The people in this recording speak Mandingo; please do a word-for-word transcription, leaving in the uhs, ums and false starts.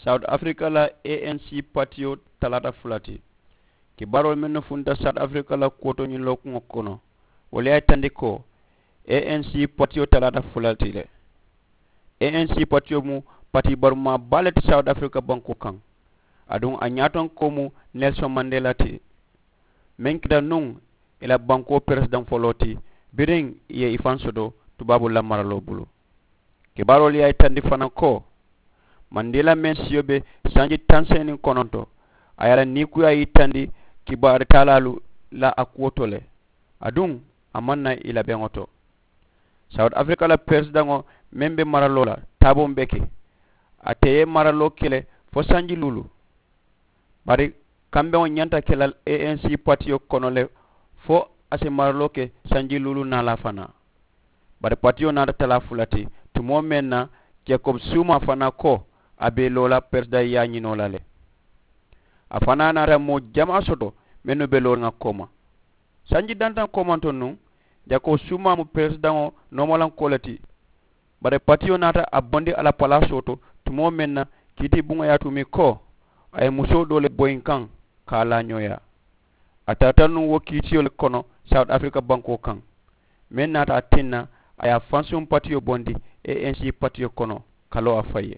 Sawuti afirika la, anc patiyo talaata fula ti. Kibaaroolu mennu funta sawuti afirika la kuwo to ñiŋ lookuŋo kono, wolu ye a yitandi ko anc patiyo talaata fula ti le. Anc patiyo mu patii barumaa baa le ti sawuti afirika bankoo kaŋ. Aduŋ a ñaatonkoo mu nelson mandela ti, meŋ keta nuŋ i la bankoo peresidaŋ foloo ti, biriŋ i ye i faŋ soto tubaaboolu la maraloo bulu. Kibaaroolu ye a yitandi fanaŋ ko mandela meŋ siyo be sanji taŋ seeniŋ kononto, a ye a la niikuyaa yitandi kibaari taalaalu la a kuwo to le. Aduŋ a maŋ na i la beŋo to. Sawuti afirika la peresidaŋo meŋ be maraloo la taaboo be ke, ate ye maraloo ke le fo sanji luulu. Bari kambeŋo ñanta ke la anc patiyo kono le fo a si maraloo ke sanji luulu naalaa fanaa. Bari patiyo naata talaa fula ti tumoo meŋ na, jakob suumaa fanaa ko a be i loo la peresidaŋ yaañinoo la le. A fanaa naata moo jamaa soto mennu be looriŋ a kooma. Sanji dantaŋ koomanto nuŋ, jakob suumaa mu peresidaŋo noomalankoo le ti. Bari patiyo naata a bondi a la palaasoo to tumoo meŋ na, kiiti buŋo ye a tumi ko a ye musoo doo le boyi n kaŋ ka a laa ñooyaa. A tarata nuŋ wo kiitiyo le kono sawuti afirika bankoo kaŋ, meŋ naata a tinna a ye a fansuŋ patiyo bondi anc patiyo kono ka loo a faŋ ye.